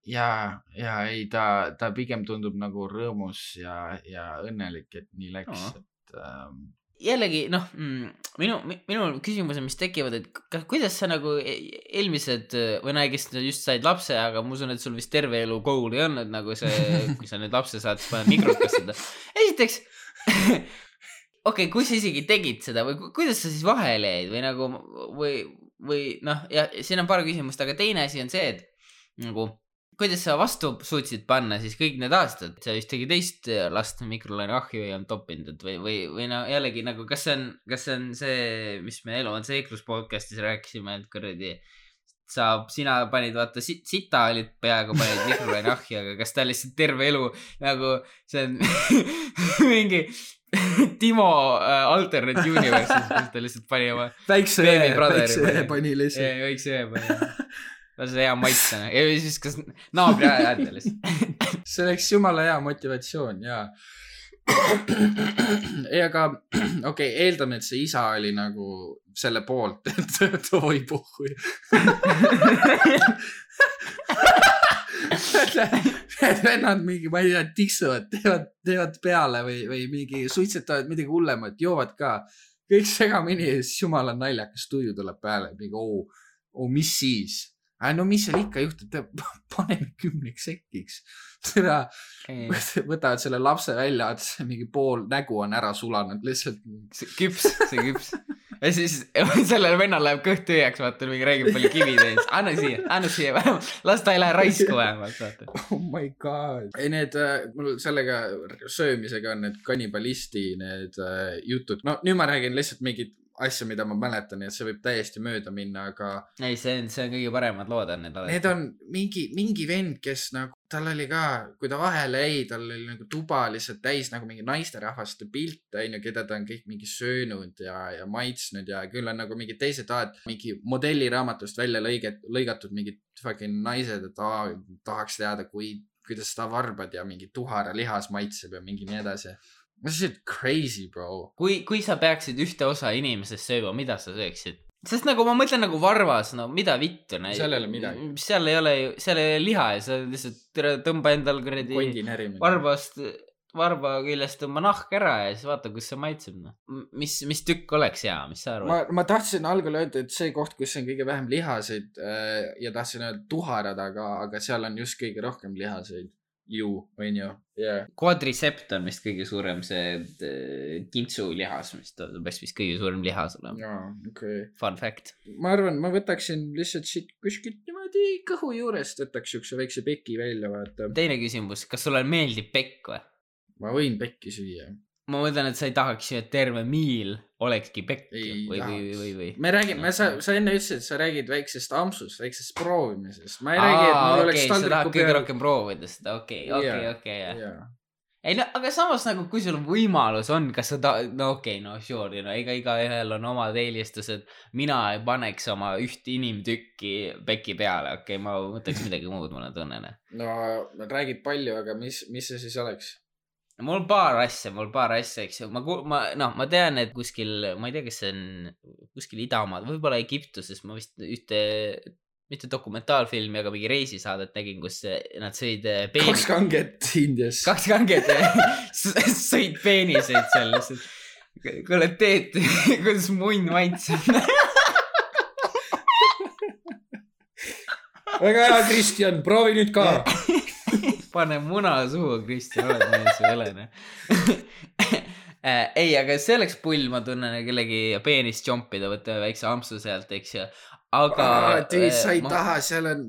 ei, ta pigem tundub nagu rõõmus ja õnnelik, et nii läks, et jällegi, minu küsimus on, mis tekivad, et kuidas sa nagu eelmised või kes just said lapse, aga ma usun, et sul vist terve elu goal ei olnud nagu see, kui sa nüüd lapse saad, siis paned mikrokas seda. Esiteks, okei, kui sa isegi tegid seda või kuidas sa siis vahele jäid või nagu, või ja siin on paar küsimust, aga teine asi on see, et nagu kuidas sa vastu suutsid panna siis kõik need aastad, sa vist tegi teist last mikrolaineahju ei olnud toppinud või jällegi nagu, kas see on see, mis me Elu on Seiklus podcastis rääkisime, et kuradi sina panid, vaata, sita olid peaaegu panid mikrolaineahju, aga kas ta lihtsalt terve elu nagu see on mingi Timo alternate universe'is, kus ta lihtsalt pani oma väikse ühe pani lihtsalt. Väikse ühe pani. See hea maitsena. Ja siis kas naabri äärdelis. See oleks jumala hea motivatsioon, jaa. Aga okei, eeldame, et see isa oli nagu selle poolt, et oi puhhui. Vennad mingi, ma ei tea, tiksuvad, teevad peale või mingi suitsetavad midagi hullemat, joovad ka. Kõik segamini ja siis jumala naljakas tuju tuleb peale. Mingi, mis siis? No mis seal ikka juhtub, paneme 10 sekiks. Võtavad selle lapse välja, et mingi pool nägu on ära sulanud, lihtsalt. See küps. Ja siis sellel vennal läheb kõht tühjaks, vaata, mingi räägib palju kivi teis. Anna siia vähemalt. Las ta ei lähe raisku vähemalt, vaata. Oh my god. Ei, mul sellega söömisega on need kannibalisti need jutud. No nüüd ma räägin lihtsalt mingid asja, mida ma mäletan, et see võib täiesti mööda minna, aga ei, see on kõige paremad lood on need on mingi vend, kes nagu, tal oli ka, kui ta vahele jäi, tal oli nagu tuba lihtsalt täis nagu mingi naisterahvaste pilte, keda ta on kõik mingi söönud ja maitsnud ja küll on nagu mingi teised mingi modelliraamatust välja lõigatud mingid fucking naised, et tahaks teada, kuidas ta varbad ja mingi tuhara lihas maitseb ja mingi nii edasi. See on crazy, bro. Kui sa peaksid ühte osa inimesest sööma, mida sa sööksid? Sest nagu ma mõtlen nagu varvas, mida vittu. Seal ei ole midagi. Seal ei ole liha ja sa lihtsalt tõmba endal varba küljest tõmba nahk ära ja siis vaata, kus see maitseb. Mis tükk oleks hea, mis sa arvad? Ma tahtsin algul öelda, et see koht, kus on kõige vähem lihaseid ja tahtsin öelda tuharad, aga seal on just kõige rohkem lihaseid. On ju. Yeah. Quadricept on vist kõige suurem see kintsu lihas, mis ta peaks vist kõige suurem lihas olema. Okay. Fun fact. Ma arvan, ma võtaksin lihtsalt siit kuskilt niimoodi kõhu juurest, võtaks üks väikse peki välja, vaata. Teine küsimus, kas sulle meeldib pekk või? Ma võin pekki süüa. Ma mõtlen, et sa ei tahaks ju, et terve miil olekski pekk või. Me räägime, sa enne ütlesid, et sa räägid väiksest ampsust, väiksest proovimisest. Ma ei räägi, et mul oleks sa tahad kõige rohkem proovida seda, okei. Ei, aga samas nagu, kui sul võimalus on, kas sa sure, iga ühel on omad eelistused. Mina ei paneks oma üht inimtükki peki peale, ma võtaks midagi muud, mulle tunnen. No, räägid palju, aga mis see siis oleks? Mul paar asja, eks ju. Ma tean, et kuskil, ma ei tea, kas see on kuskil Idamaad, võib-olla Egiptuses, ma vist ühte, mitte dokumentaalfilmi, aga mingi reisisaadet nägin, kus nad sõid peenis. 2 kanget Indias. 2 kanget sõid peeniseid seal lihtsalt. Kuule, teed, kuidas munn maitseb. Väga hea, Kristjan, proovi nüüd ka. Pane muna suhu, Kristjan, oled mees või elene. Ei, aga see oleks pull, ma tunnen kellegi peenist jompida, võtta väikse ampsu sealt, eks ju. Aga... Tüüd, sa ei taha, seal on...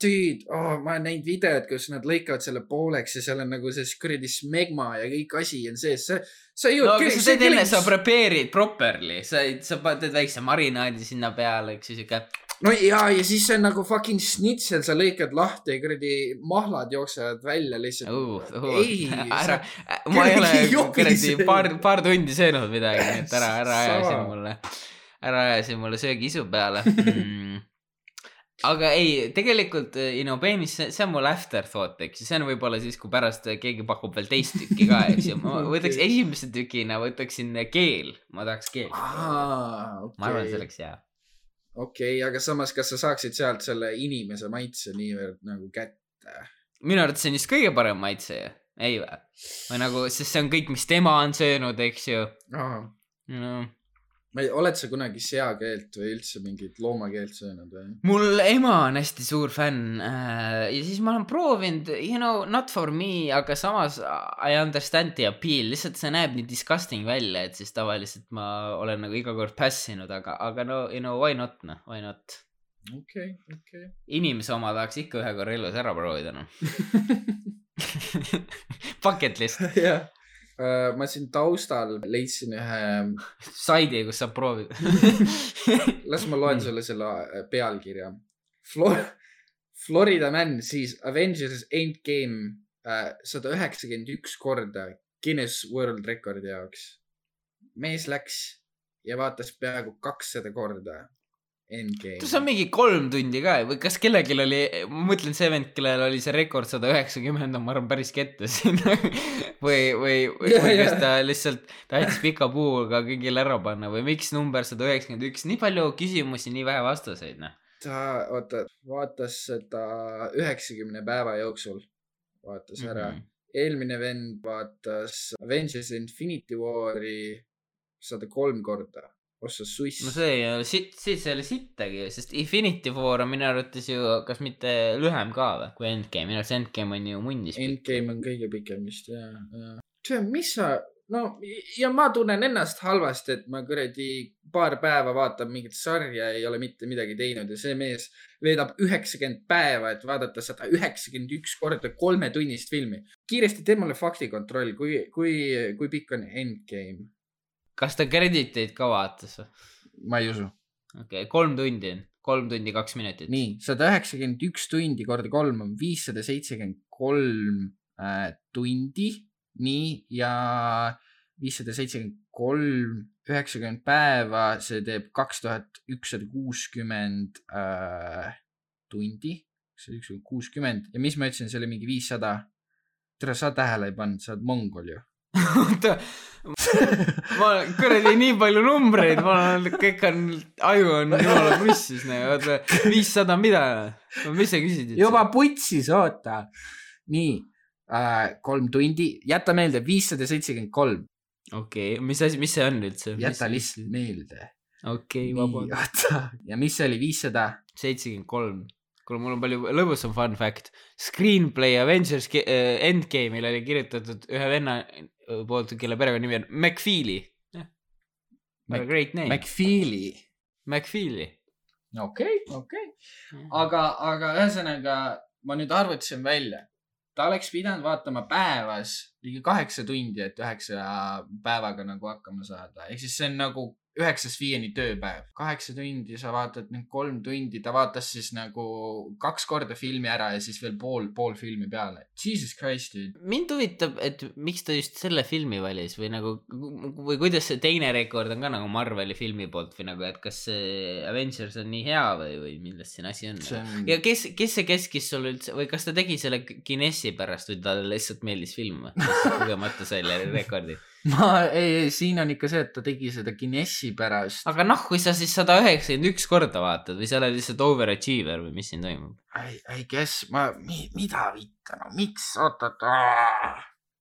Tüüd, ma olen näinud videod, kus nad lõikavad selle pooleks ja seal on nagu see kuradi smegma ja kõik asi on sees. Sa ei no, aga sa teed enne, sa prepare'id properly. Sa teed väikse marinaadi sinna peale, eks ju, siuke... No ja siis see on nagu fucking snitsel, sa lõikad lahti ja kuradi mahlad jooksevad välja lihtsalt. Ei, ma ei ole kuradi paar tundi söönud midagi, nii et ära aja mulle söögiisu peale. Aga ei, tegelikult peenis, see on mul afterthought, eks. See on võib-olla siis, kui pärast keegi pakub veel teist tükki ka, eks. Ma võtaks esimese tükina, võtaksin keel. Ma tahaks keel. Ma arvan, see oleks hea. Okei, aga samas, kas sa saaksid sealt selle inimese maitse niivõrd nagu kätte? Minu arvates see on just kõige parem maitse. Ei või? Või nagu, sest see on kõik, mis tema on söönud, eks ju. Oled sa kunagi seakeelt või üldse mingit loomakeelt söönud või? Mul ema on hästi suur fänn ja siis ma olen proovinud, not for me, aga samas I understand the appeal, lihtsalt see näeb nii disgusting välja, et siis tavaliselt ma olen nagu iga kord passinud, aga no, why not, why not? Okay. Inimese oma tahaks ikka ühe korra elus ära proovida, no. Bucket list. Jah. Ma siin taustal leidsin ühe saidi, kus saab proovida. Las ma loen sulle selle pealkirja. Florida Man siis Avengers Endgame 191 korda Guinness World Recordi jaoks. Mees läks ja vaatas peaaegu 200 korda Endgame. See on mingi 3 tundi ka või kas kellelgi oli, ma mõtlen see vend, kellel oli see rekord 190, ma arvan päris kette siin või kas ta lihtsalt tahtis pika puuga kõigil ära panna või miks number 191, nii palju küsimusi, nii vähe vastuseid, noh. Ta vaatas seda 90 päeva jooksul, vaatas ära. Eelmine vend vaatas Avengers Infinity War'i 103 korda. Ossa suiss. No see ei ole sittagi, sest Infinity War on minu arvates ju kas mitte lühem ka või, kui Endgame. Minu arvates Endgame on ju mundis. Endgame on kõige pikem vist, jah. Mis sa, no ja ma tunnen ennast halvasti, et ma kuradi paar päeva vaatan mingit sarja, ei ole mitte midagi teinud ja see mees veedab 90 päeva, et vaadata 191 korda 3 tunnist filmi. Kiiresti tee mulle faktikontroll, kui pikk on Endgame. Kas ta krediteid ka vaatas? Ma ei usu. Okei, 3 tundi on. 3 tundi, 2 minutit. Nii, 191 tundi korda 3 on 573 tundi. Nii, ja 573, 90 päeva, see teeb 2160 tundi. 160. Ja mis ma ütlesin, see oli mingi 500. Tere, sa tähele ei pannud, sa oled mongol ju. ma kuradi nii palju numbreid, kõik on, aju on jumala pussis, 500 mida? Mis sa küsid? Juba putsis, oota. Nii, 3 tundi, jäta meelde 573. Okei, mis see on üldse? Jäta lihtsalt meelde. Okei, vabalt. Ja mis oli 573? Kuule, mul on palju lõbusam fun fact. Screenplay Avengers Endgame'il oli kirjutatud ühe venna poolt, kelle perekonna nimi on McFeely. Great name. McFeely. Okei. Aga ühesõnaga, ma nüüd arvutasin välja. Ta oleks pidanud vaatama päevas ligi 8 tundi, et 9 päevaga nagu hakkama saada. Ehk siis see on nagu 9-5 tööpäev. 8 tundi, sa vaatad nüüd 3 tundi, ta vaatas siis nagu 2 korda filmi ära ja siis veel pool filmi peale. Jesus Christ, dude. Mind huvitab, et miks ta just selle filmi valis või nagu, või kuidas see teine rekord on ka nagu Marveli filmi poolt või nagu, et kas see Avengers on nii hea või millest siin asi on? Ja kes see keskis sul üldse, või kas ta tegi selle Guinessi pärast või ta lihtsalt meeldis film või? Kogemata selle rekordi. ei, siin on ikka see, et ta tegi seda Guinessi pärast. Aga kui sa siis 191 korda vaatad või sa oled lihtsalt overachiever või mis siin toimub? I guess, mida vitta, no miks,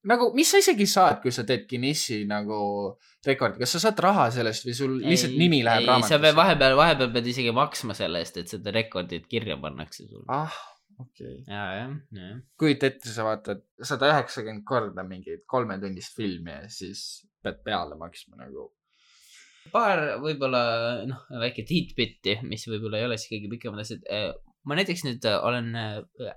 nagu, mis sa isegi saad, kui sa teed Guinessi nagu rekordi, kas sa saad raha sellest või sul lihtsalt nimi läheb raamatusse? Sa pead vahepeal pead isegi maksma selle eest, et seda rekordit kirja pannakse sul. Okay. Ja. Kuid ette sa vaatad 190 korda mingit 3-tunnist filmi ja siis pead peale maksma nagu. Paar võib-olla väike tidbitti, mis võib-olla ei ole siis kõige pikemad asjad. Ma näiteks nüüd olen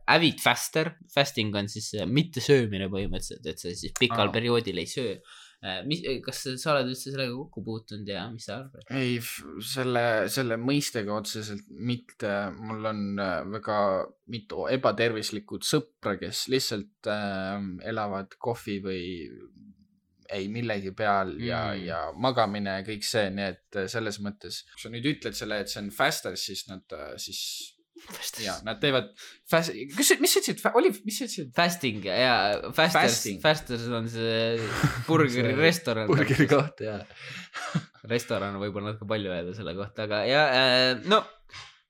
avid faster. Fasting on siis mitte söömine põhimõtteliselt, et sa siis pikal perioodil ei söö. Kas sa oled üldse sellega kokku puutunud ja mis sa arvad? Ei, selle mõistega otseselt mitte. Mul on väga mitu ebatervislikud sõpra, kes lihtsalt elavad kohvi või ei millegi peal ja magamine ja kõik see, nii et selles mõttes, kui sa nüüd ütled selle, et see on faster, siis nad nad teevad mis sa ütlesid? Mis sa ütlesid? Fasting ja Fasters on see burgeri restoran. Burgeri koht, restoran võib-olla natuke palju öelda selle kohta, aga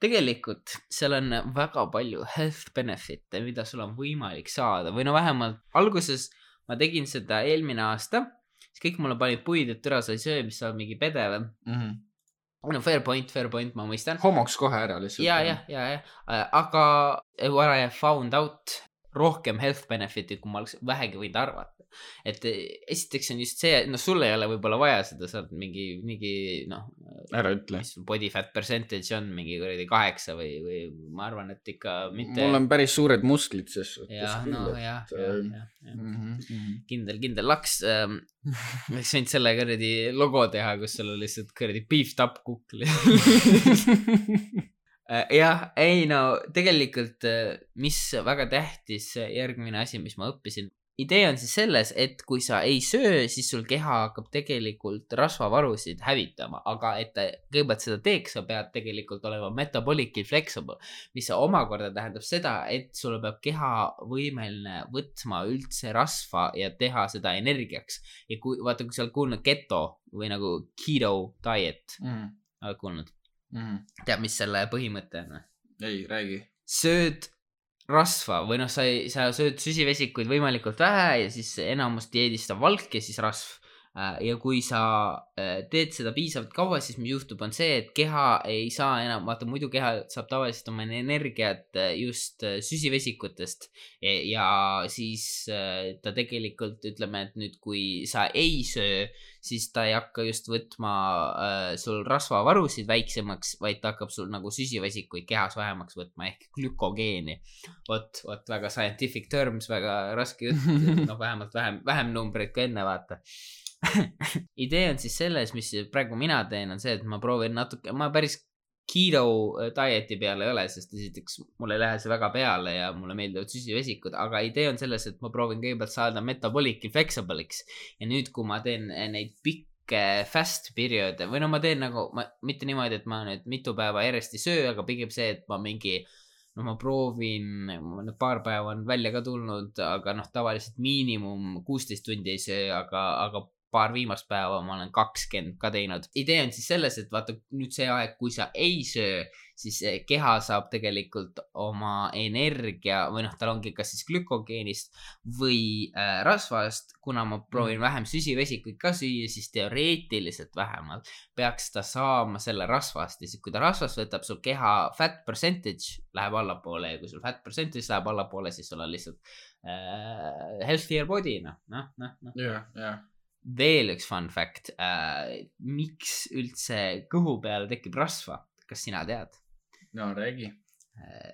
tegelikult seal on väga palju health benefit'e, mida sul on võimalik saada või vähemalt alguses ma tegin seda eelmine aasta, siis kõik mulle panid puid, et türa sa ei söö, mis sa oled mingi pedev. Fair point, ma mõistan. Homoks kohe ära lihtsalt. Ja. Aga what I have found out, rohkem health benefit'i, kui ma oleks vähegi võinud arvata. Et esiteks on just see, sul ei ole võib-olla vaja seda, sa oled mingi ära ütle. Mis body fat percentage on, mingi 8 või ma arvan, et ikka mitte. Mul on päris suured musklid ses. Kindel laks. Võiks võinud selle kõredi logo teha, kus sul on lihtsalt kõredi beefed up kukli. Tegelikult mis väga tähtis järgmine asi, mis ma õppisin. Idee on siis selles, et kui sa ei söö, siis sul keha hakkab tegelikult rasvavarusid hävitama, aga et kõigepealt seda teeks, sa pead tegelikult olema metabolically flexible, mis omakorda tähendab seda, et sul peab keha võimeline võtma üldse rasva ja teha seda energiaks. Ja kui sa oled kuulnud keto või nagu keto diet, oled kuulnud? Tead, mis selle põhimõte on? Ei, räägi. Sööd rasva või sa sööd süsivesikuid võimalikult vähe ja siis enamus dieedist on valk ja siis rasv. Ja kui sa teed seda piisavalt kaua, siis mis juhtub on see, et keha ei saa enam, muidu keha saab tavaliselt oma energiat just süsivesikutest ja siis ta tegelikult ütleme, et nüüd kui sa ei söö, siis ta ei hakka just võtma sul rasvavarusid väiksemaks, vaid ta hakkab sul nagu süsivesikuid kehas vähemaks võtma ehk glükogeeni. Vot väga scientific terms, väga raske jutt, vähemalt vähem numbreid kui enne vaata. Idee on siis selles, mis praegu mina teen, on see, et ma proovin natuke, ma päris keto dieti peale ei ole, sest esiteks mul ei lähe see väga peale ja mulle meeldivad süsivesikud, aga idee on selles, et ma proovin kõigepealt saada metabolically flexible'iks ja nüüd, kui ma teen neid pikke fast perioode või ma teen nagu, mitte niimoodi, et ma nüüd mitu päeva järjest ei söö, aga pigem see, et ma mingi ma proovin, paar päeva on välja ka tulnud, aga tavaliselt miinimum 16 tundi ei söö, aga paar viimast päeva ma olen 20 ka teinud. Idee on siis selles, et vaata nüüd see aeg, kui sa ei söö, siis keha saab tegelikult oma energia või tal ongi kas siis glükogeenist või rasvast, kuna ma proovin vähem süsivesikuid ka süüa, siis teoreetiliselt vähemalt peaks ta saama selle rasvast ja siis kui ta rasvast võtab, sul keha fat percentage läheb allapoole ja kui sul fat percentage läheb allapoole, siis sul on lihtsalt healthier body, Veel üks fun fact, miks üldse kõhu peale tekib rasva, kas sina tead? No, räägi.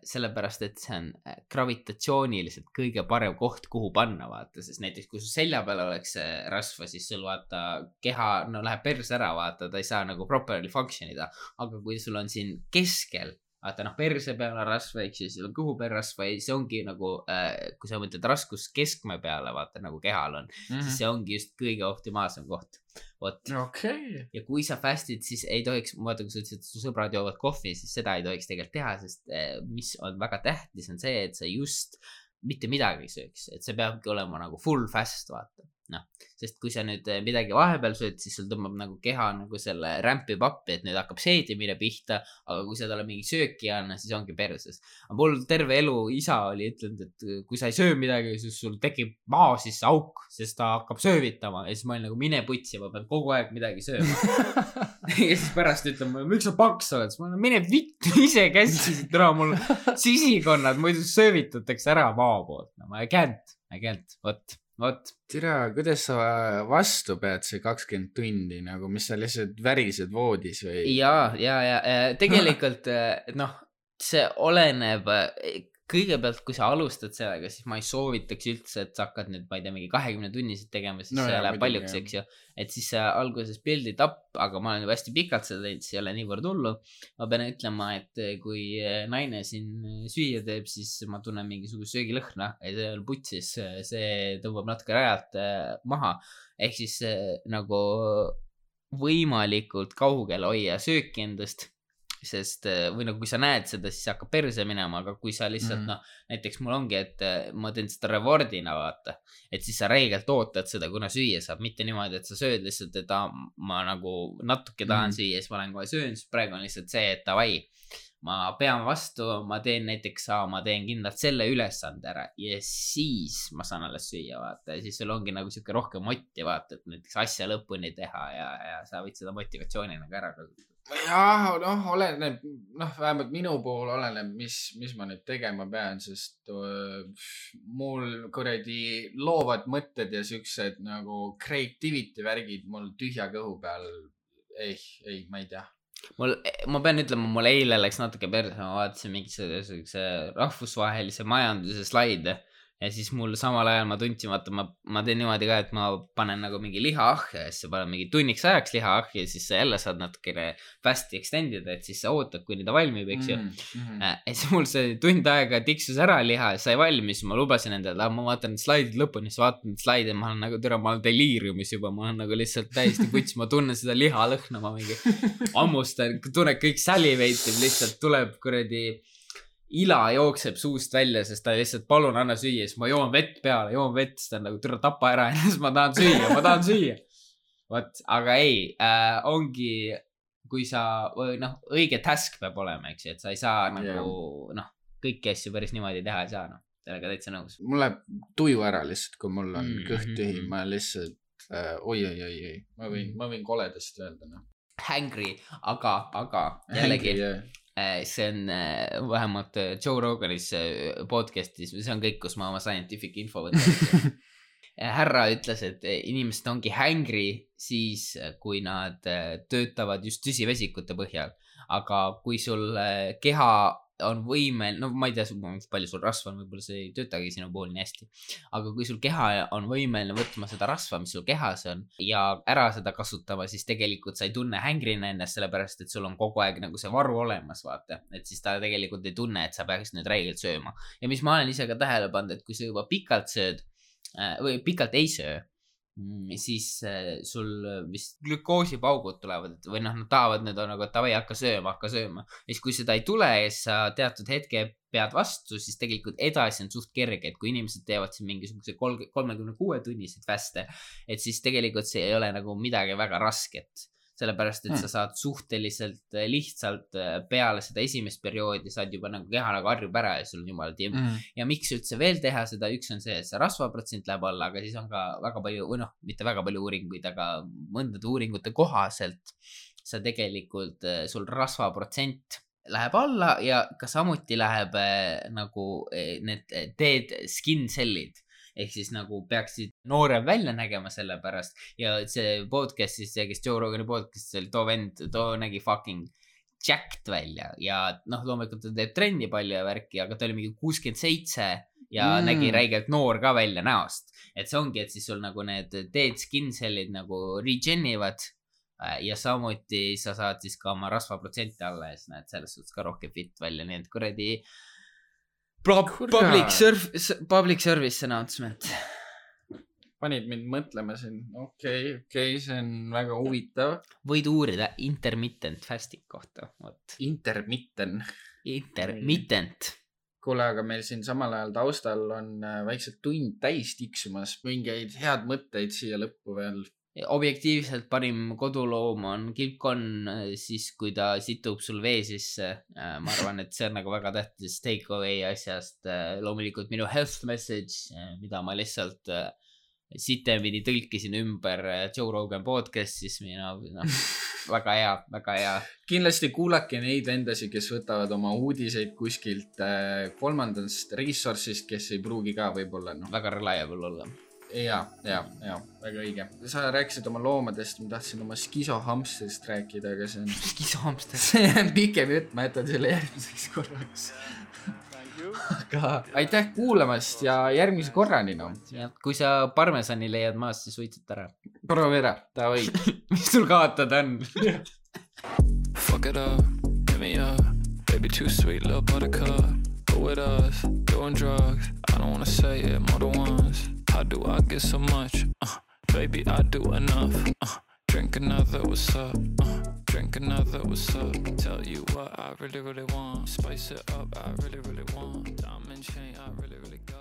Sellepärast, et see on gravitatsiooniliselt kõige parem koht, kuhu panna, vaata, sest näiteks kui su selja peal oleks rasva, siis sul vaata keha, läheb perse ära, vaata, ta ei saa nagu properly functionida, aga kui sul on siin keskel, vaata perse peal on rasva, eks siis on kõhu peal rasva ja see ongi nagu, kui sa mõtled raskus keskme peale, vaata nagu kehal on, siis see ongi just kõige optimaalsem koht. Okay. Ja kui sa fastid, siis ei tohiks, vaata kui sa ütlesid, et su sõbrad joovad kohvi, siis seda ei tohiks tegelikult teha, sest mis on väga tähtis on see, et sa just mitte midagi sööks, et see peabki olema nagu full fast, vaata. noh, sest kui sa nüüd midagi vahepeal sööd, siis sul tõmbab nagu keha nagu selle rämpib appi, et nüüd hakkab seedimine pihta, aga kui sa talle mingi sööki ei anna, siis ongi perses. Aga mul terve elu isa oli ütlenud, et kui sa ei söö midagi, siis sul tekib maa sisse auk, sest ta hakkab söövitama ja siis ma olin nagu mine putsi, ma pean kogu aeg midagi sööma. Ja siis pärast ütleb mulle, miks sa paks oled? Ma olen, mine vittu, ise käskisid täna mul sisikonnad, muidu söövitatakse ära maa poolt. No, ma ei känt, vot. Tira, kuidas sa vastu pead see 20 tundi, nagu mis sa lihtsalt värised voodis või? Ja tegelikult, noh, see oleneb, kõigepealt, kui sa alustad sellega, siis ma ei soovitaks üldse, et sa hakkad nüüd, ma ei tea, mingi 20 tunniseid tegema, siis see läheb paljuks, eks ju. Et siis alguses build'id up, aga ma olen juba hästi pikalt seda teinud, siis ei ole niivõrd hullu. Ma pean ütlema, et kui naine siin süüa teeb, siis ma tunnen mingisugust söögilõhna ja see on putsis, see tõmbab natuke rajalt maha. Ehk siis nagu võimalikult kaugel hoia sööki endast. Sest või nagu kui sa näed seda, siis hakkab perse minema, aga kui sa lihtsalt noh, näiteks mul ongi, et ma teen seda rewardina vaata, et siis sa räigelt ootad seda, kuna süüa saab, mitte niimoodi, et sa sööd lihtsalt, et ma nagu natuke tahan süüa, siis ma lähen kohe söön, siis praegu on lihtsalt see, et davai, ma pean vastu, ma teen näiteks, ma teen kindlalt selle ülesande ära ja siis ma saan alles süüa vaata ja siis sul ongi nagu siuke rohkem motti vaata, et näiteks asja lõpuni teha ja sa võid seda motivatsioonina ka ära kasutada. Jah, noh, oleneb, noh, vähemalt minu puhul oleneb, mis ma nüüd tegema pean, sest mul kuradi loovad mõtted ja siuksed nagu creativity värgid mul tühja kõhu peal, ei, ma ei tea. Ma pean ütlema, mul eile läks natuke perse, ma vaatasin mingisuguse rahvusvahelise majanduse slaide ja siis mul samal ajal ma tundsin, vaata, ma teen niimoodi ka, et ma panen nagu mingi liha ahja ja siis panen mingi tunniks ajaks liha ahja ja siis sa jälle saad natukene fasti extendida, et siis sa ootad, kuni ta valmib, eks ju. Ja siis mul see tund aega tiksus ära liha ja sai valmis, ma lubasin endale, ma vaatan slaidid lõpuni, siis vaatan slaide, ma olen nagu ma olen deliiriumis juba, ma olen nagu lihtsalt täiesti kuts, ma tunnen seda liha lõhna, ma mingi ammustan, tunnen kõik saliveitib, lihtsalt tuleb kuradi ila jookseb suust välja, sest ta lihtsalt palun anna süüa, siis ma joon vett peale, siis ta on nagu türa tapa ära ja siis ma tahan süüa. Võt, aga ei, ongi, kui sa, noh, õige task peab olema, eks ju, et sa ei saa nagu, noh, kõiki asju päris niimoodi teha ei saa, noh, sellega täitsa nõus. Mul läheb tuju ära lihtsalt, kui mul on kõht tühi, ma lihtsalt, oi, ma võin koledast öelda, noh. Hangry, aga jällegi. See on vähemalt Joe Roganis podcastis, see on kõik, kus ma oma scientific info võtan. Härra ütles, et inimesed ongi hangry siis, kui nad töötavad just süsivesikute põhjal, aga kui sul keha on võimel, no ma ei tea, palju sul rasva on, võib-olla see ei töötagi sinu pool nii hästi, aga kui sul keha on võimeline võtma seda rasva, mis sul kehas on ja ära seda kasutama, siis tegelikult sa ei tunne hängrina ennast, sellepärast et sul on kogu aeg nagu see varu olemas, vaata, et siis ta tegelikult ei tunne, et sa peaks nüüd räigelt sööma. Ja mis ma olen ise ka tähele pannud, et kui sa juba pikalt sööd või pikalt ei söö, siis sul vist glükoosipaugud tulevad või noh, nad tahavad nüüd nagu, et tavai, hakka sööma ja siis kui seda ei tule ja sa teatud hetke pead vastu, siis tegelikult edasi on suht kerge, et kui inimesed teevad siin mingisuguse 36 tunniseid fäste, et siis tegelikult see ei ole nagu midagi väga rasket, sellepärast et sa saad suhteliselt lihtsalt peale seda esimest perioodi saad juba nagu keha nagu harjub ära ja sul on jumala timm. Ja miks üldse veel teha seda, üks on see, et see rasvaprotsent läheb alla, aga siis on ka väga palju, või noh, mitte väga palju uuringuid, aga mõndade uuringute kohaselt sa tegelikult, sul rasvaprotsent läheb alla ja ka samuti läheb nagu need dead skin cell'id. Ehk siis nagu peaksid noorem välja nägema selle pärast ja see podcastis, see kes Joe Rogani podcastis oli, too nägi fucking jacked välja ja noh, loomulikult ta teeb trenni palju ja värki, aga ta oli mingi 67 ja nägi räigelt noor ka välja näost, et see ongi, et siis sul nagu need dead skin cell'id nagu regenivad ja samuti sa saad siis ka oma rasvaprotsenti alla ja siis näed selles suhtes ka rohkem fit välja, nii et kuradi Public service announcement. Panid mind mõtlema siin. Okei, see on väga huvitav. Võid uurida intermittent fasting kohta. Intermittent. Kuule, aga meil siin samal ajal taustal on väikselt tund täis tiksumas. Mingeid head mõtteid siia lõppu veel. Objektiivselt parim koduloom on kilpkonn siis, kui ta situb sul vee sisse. Ma arvan, et see on nagu väga tähtis take away asjast. Loomulikult minu health message, mida ma lihtsalt sitemini tõlkisin ümber Joe Rogan podcastis. Väga hea, väga hea. Kindlasti kuulake neid endasi, kes võtavad oma uudiseid kuskilt kolmandast resource'ist, kes ei pruugi ka võib-olla. Väga reliable olla. Ja, väga õige. Sa rääkisid oma loomadest, ma tahtsin oma skisohamsterist rääkida, aga see on... Skisohamster? See on pikem jutt, ma jätan selle järgmiseks korraks. Aga aitäh kuulamast ja järgmise korrani, no. Ja, kui sa parmesani leiad maast, siis võitsid ära. Proovi ära, ta või. Mis sul kaotada on? Fuck it up, hit me up. Baby too sweet, little buttercup. Go with us, doing drugs. I don't wanna say it more than once. How do I get so much? Baby, I do enough. Drink another, what's up? Drink another, what's up? Tell you what I really, really want. Spice it up, I really, really want. Diamond chain, I really, really got.